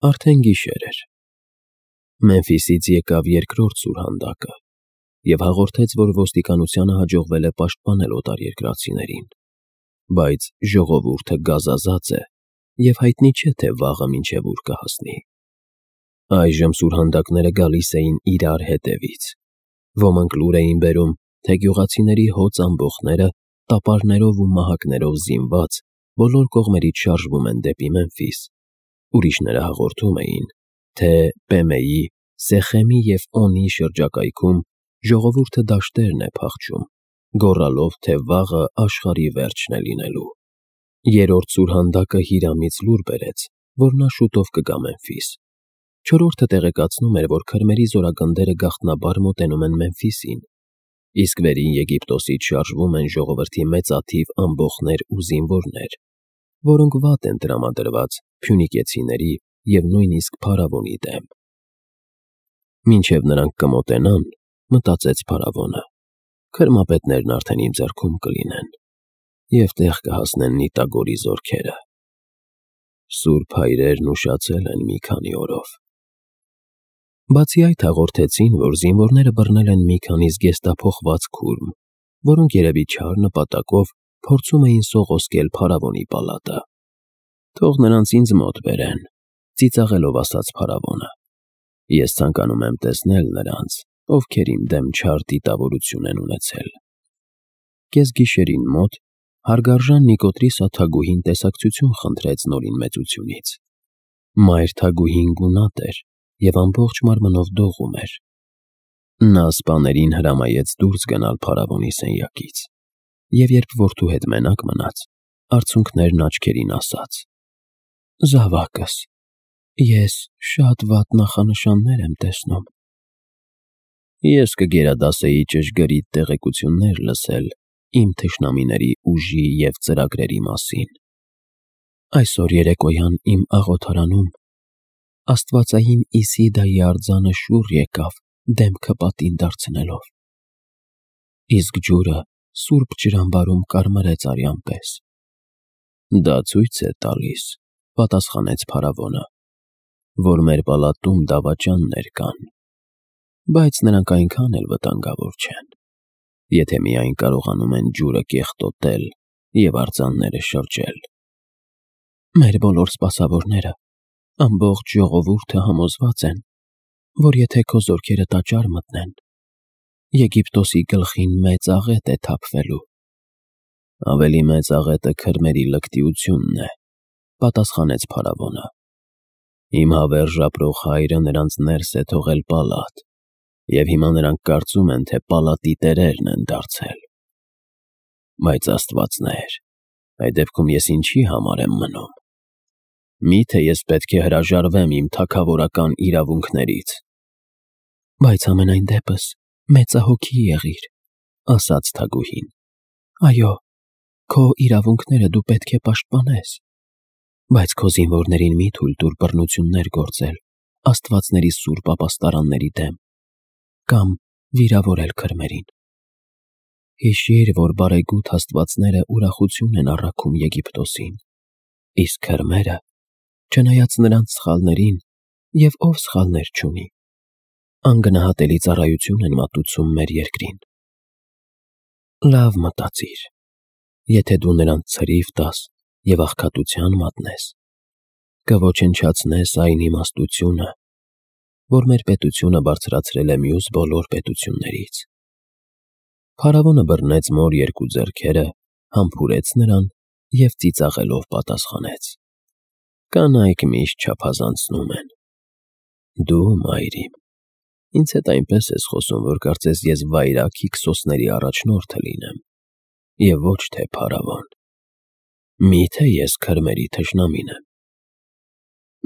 Արդեն գիշեր էր։ Մեմֆիսից եկավ երկրորդ սուրհանդակը և հաղորդեց, որ ոստիկանությանը հաջողվել է պաշտպանել օտարերկրացիներին, բայց ժողովուրդը գազազած է և հայտնի չէ, թե վաղը մինչև ուր կհասնի։ Այժմ սուրհանդակները գալիս էին իրար հետևից։ Ոմանք լուր էին բերում, թե գյուղացիների հոծ ամբոխները տապարներով ու մահակներով զինված բոլոր կողմերից շարժվում են դեպի Մեմֆիս։ Ուրիշները հաղորդում էին, թե Պեմեի, Սեխեմի և Օնի շրջակայքում ժողովուրդը դաշտերն է փախչում, գոռալով, թե վաղը աշխարհի վերջն է լինելու։ Երրորդ սուրհանդակը Հիրամից լուր բերեց, որ նա շուտով կգա Մեմֆիս։ Չորրորդը տեղեկացնում էր, որ քրմերի զորագնդերը գաղտնաբար մոտենում են Մեմֆիսին, իսկ Վերին Եգիպտոսից շարժվում են ժողովրդի մեծաթիվ ամբոխներ ու զինվորներ, որոնք վատ են տրամադրված փյունիկեցիների և նույնիսկ փարավոնի դեմ։ Մինչև նրանք կմոտենան, մտածեց փարավոնը, քրմապետներն արդեն իմ ձեռքում կլինեն և տեղ կհասնեն Նիտագորի զորքերը։ Սուրբ հայրերն ուշացել են մի քանի օրով։ Բացի այդ հաղորդեցին, որ զինվորները բռնել են մի քանի զգեստափոխված քուրմ, որոնք երևի չար նպատակով փորձում էին սողոսկել փարավոնի պալատը։ Թող նրանց ինձ մոտ բերեն, ծիծաղելով ասաց փարավոնը։ Ես ցանկանում եմ տեսնել նրանց, ովքեր իմ դեմ չար դիտավորություն են ունեցել։ Կեսգիշերին մոտ հարգարժան Նիկոտրիս թագուհին տեսակցություն խնդրեց Նորին մեծությունից։ Մայր թագուհին գունատ էր և ամբողջ մարմնով դողում էր։ Նա սպաներին հրամայեց դուրս գնալ փարավոնի սենյակից և երբ որդու հետ մենակ մնաց, արցունքներն աչքերին ասաց. «Զավակս, ես շատ վատ նախանշաններ եմ տեսնում»։ Ես կգերադասեի ճշգրիտ տեղեկություններ լսել իմ թշնամիների ուժի և ծրագրերի մասին։ Այսօր երեկոյան իմ աղոթարանում աստվածային Իսիդայի արձանը շուռ եկավ դեմքը պատին դարձնելով, իսկ ջուրը սուրբ ջրամբարում կարմրեց արյան պես։ Դա ցույց է տալիս, պատասխանեց փարավոնը, որ մեր պալատում դավաճաններ կան, բայց նրանք այնքան էլ վտանգավոր չեն, եթե միայն կարողանում են ջուրը կեղտոտել և արձանները շրջել։ Մեր բոլոր սպասավորները, ամբողջ ժողովուրդը համոզված են, որ եթե քո զորքերը տաճար մտնեն, Եգիպտոսի գլխին մեծ աղետ է թափվելու։ Ավելի մեծ աղետը քրմերի լկտիությունն է, պատասխանեց փարավոնը։ Իմ հավերժ ապրող հայրը նրանց ներս է թողել պալատ, և հիմա նրանք կարծում են, թե պալատի տերերն են դարձել։ Բայց աստվածներ, այդ դեպքում ես ինչի համար եմ մնում։ Միթե ես պետք է հրաժարվեմ իմ թագավորական իրավունքներից։ Բայց ամենայն դեպս մեծահոգի եղիր, ասաց թագուհին։ Այո, քո իրավունքները դու պետք է պաշտպանես, բայց քո զինվորներին մի թույլ տուր բռնություններ գործել աստվածների սուրբ ապաստարանների դեմ կամ վիրավորել քրմերին։ Հիշիր, որ բարեգութ աստվածները ուրախություն են առաքում Եգիպտոսին, իսկ քրմերը, չնայած նրանց սխալներին, և ով սխալներ չունի, անգնահատելի ծառայություն են մատուցում մեր երկրին։ Լավ մտածիր, եթե դու նրանց ցրիվ տաս և աղքատության մատնես, կոչնչացնես այն իմաստությունը, որ մեր պետությունը բարձրացրել է մյուս բոլոր պետություններից։ Փարավոնը բռնեց մոր երկու ձեռքերը, համբուրեց նրան և ծիծաղելով պատասխանեց. Կանայք միշտ չափազանցնում են։ Դու, մայր իմ, ինձ հետ այնպես ես խոսում, որ կարծես ես վայրագ Հիքսոսների առաջնորդը լինեմ, և ոչ թե փարավոն։ Միթե ես քրմերի թշնամին եմ։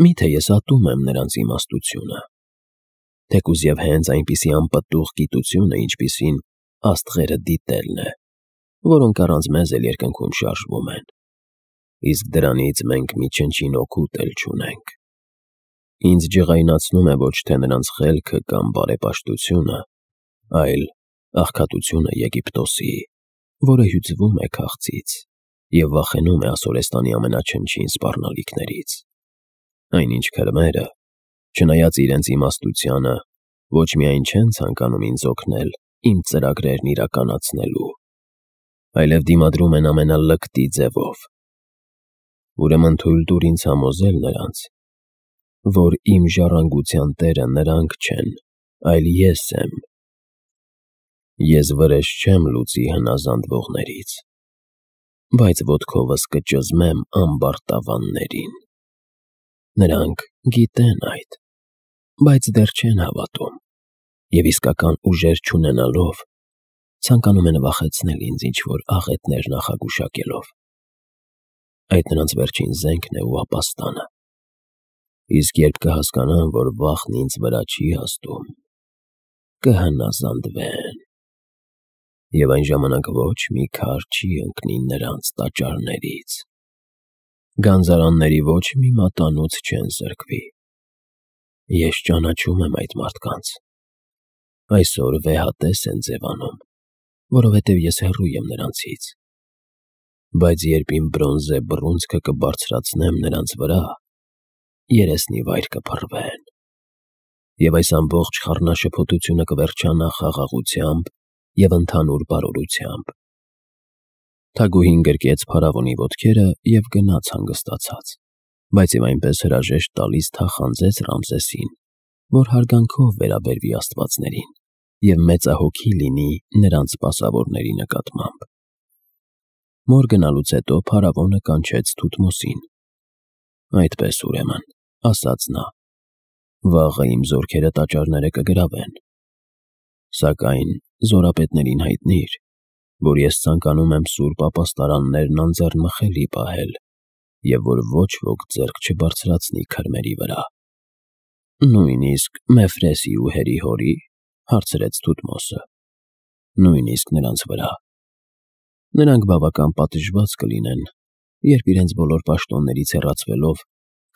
Միթե ես ատում եմ նրանց իմաստությունը, թեկուզ և հենց այնպիսի անպտուղ գիտությունը, ինչպիսին աստղերը դիտելն է, որոնք առանց մեզ էլ երկնքում շարժվում են, իսկ դրանից մենք մի չնչին օգուտ էլ չունենք։ Ինձ ջղայնացնում է ոչ թե նրանց խելքը կամ բարեպաշտությունը, այլ աղքատությունը Եգիպտոսի, որը հյուծվում է քաղցից և վախենում է ասորեստանի ամենաչնչին սպառնալիքներից։ Այնինչ քրմերը, չնայած իրենց իմաստությանը, ոչ միայն չեն ցանկանում ինձ օգնել իմ ծրագրերն իրականացնելու, այլև դիմադրում են ամենալկտի ձևով։ Ուրեմն թույլ տուր ինձ համոզել նրանց, որ իմ ժառանգության տերը նրանք չեն, այլ ես եմ։ Ես վրեժ չեմ լուծի հնազանդվողներից, բայց ոտքովս կճզմեմ ամբարտավաններին։ Նրանք գիտեն այդ, բայց դեռ չեն հավատում, և իսկական ուժեր չունենալով, ցանկանում են վախեցնել ինձ ինչ-որ աղետներ նախագուշակելով։ Այդ նրանց վերջին զենքն է ու ապաստանը։ Իսկ երբ կհասկանան, որ վախն ինձ վրա չի հաստում, կհնազանդվեն, և այն ժամանակ ոչ մի քար չի ընկնի նրանց տաճարներից, գանձարանների ոչ մի մատանոց չեն զրկվի։ Ես ճանաչում եմ այդ մարդկանց։ Այսօր վեհատես են ձևանում, որովհետև ես հեռու եմ նրանցից, բայց երբ իմ բրոնզե բռունցքը կբարձրացնեմ նրանց վրա, երեսնի վայր կփռվեն, և այս ամբողջ խառնաշփոթությունը կվերջանա խաղաղությամբ և ընդհանուր բարօրությամբ։ Թագուհին գրկեց փարավոնի ոտքերը և գնաց հանգստացած, բայց և այնպես հրաժեշտ տալիս թախանձեց Ռամզեսին, որ հարգանքով վերաբերվի աստվածներին և մեծահոգի լինի նրանց սպասավորների նկատմամբ։ Մոր գնալուց հետո փարավոնը կանչեց Թութմոսին։ «Այդպես, ուրեմն, — ասաց նա, — վաղը իմ զորքերը տաճարները կգրավեն, սակայն զորապետներին հայտնիր, որ ես ցանկանում եմ սուրբ ապաստարաններն անձեռնմխելի պահել և որ ոչ ոք ձեռք չբարձրացնի քրմերի վրա»։ «Նույնիսկ Մефրեսի ու Հերի հորի՞, — հարցրեց Թութմոսը։ «Նույնիսկ նրանց վրա։ Նրանք բավական պատժված կլինեն, երբ իրենց բոլոր պաշտոններից հեռացվելով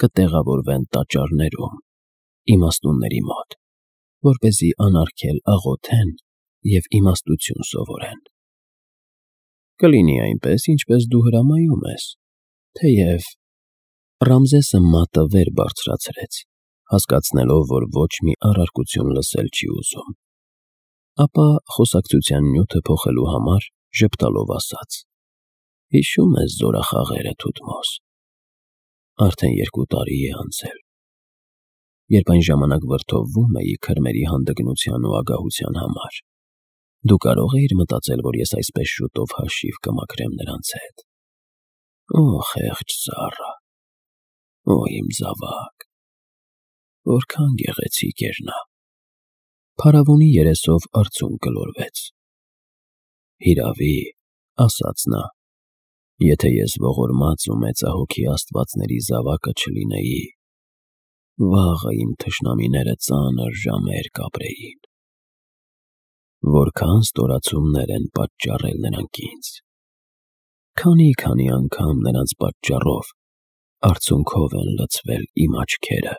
կտեղավորվեն տաճարներում, իմաստունների մոտ, որպեսզի անարգել աղոթեն և իմաստություն սովորեն։ Կլինի այնպես, ինչպես դու հրամայում ես, թեև…» Ռամզեսը մատը վեր բարձրացրեց, հասկացնելով, որ ոչ մի առարկություն լսել չի ուզում, ապա խոսակցության նյութը փոխելու համար ժպտալով ասաց. «Հիշո՞ւմ ես զորախաղերը, Թութմոս։ Արդեն 2 տարի է անցել, երբ այն ժամանակ վրդովվում էի քրմերի հանդգնության ու ագահության համար։ Դու կարո՞ղ էիր մտածել, որ ես այսպես շուտով հաշիվ կմաքրեմ նրանց հետ։ Օ, խեղճ ծառա, օ, իմ զավակ, որքան գեղեցիկ էր նա»։ Փարավոնի երեսով արցունք գլորվեց։ «Հիրավի, — ասաց նա, — եթե ես ողորմած ու մեծահոգի աստվածների զավակը չլինեի, վաղը իմ թշնամիները ծանր ժամեր կապրեին։ Որքան ստորացումներ են պատճառել նրանք ինձ, քանի անգամ նրանց պատճառով արցունքով են լցվել իմ աչքերը։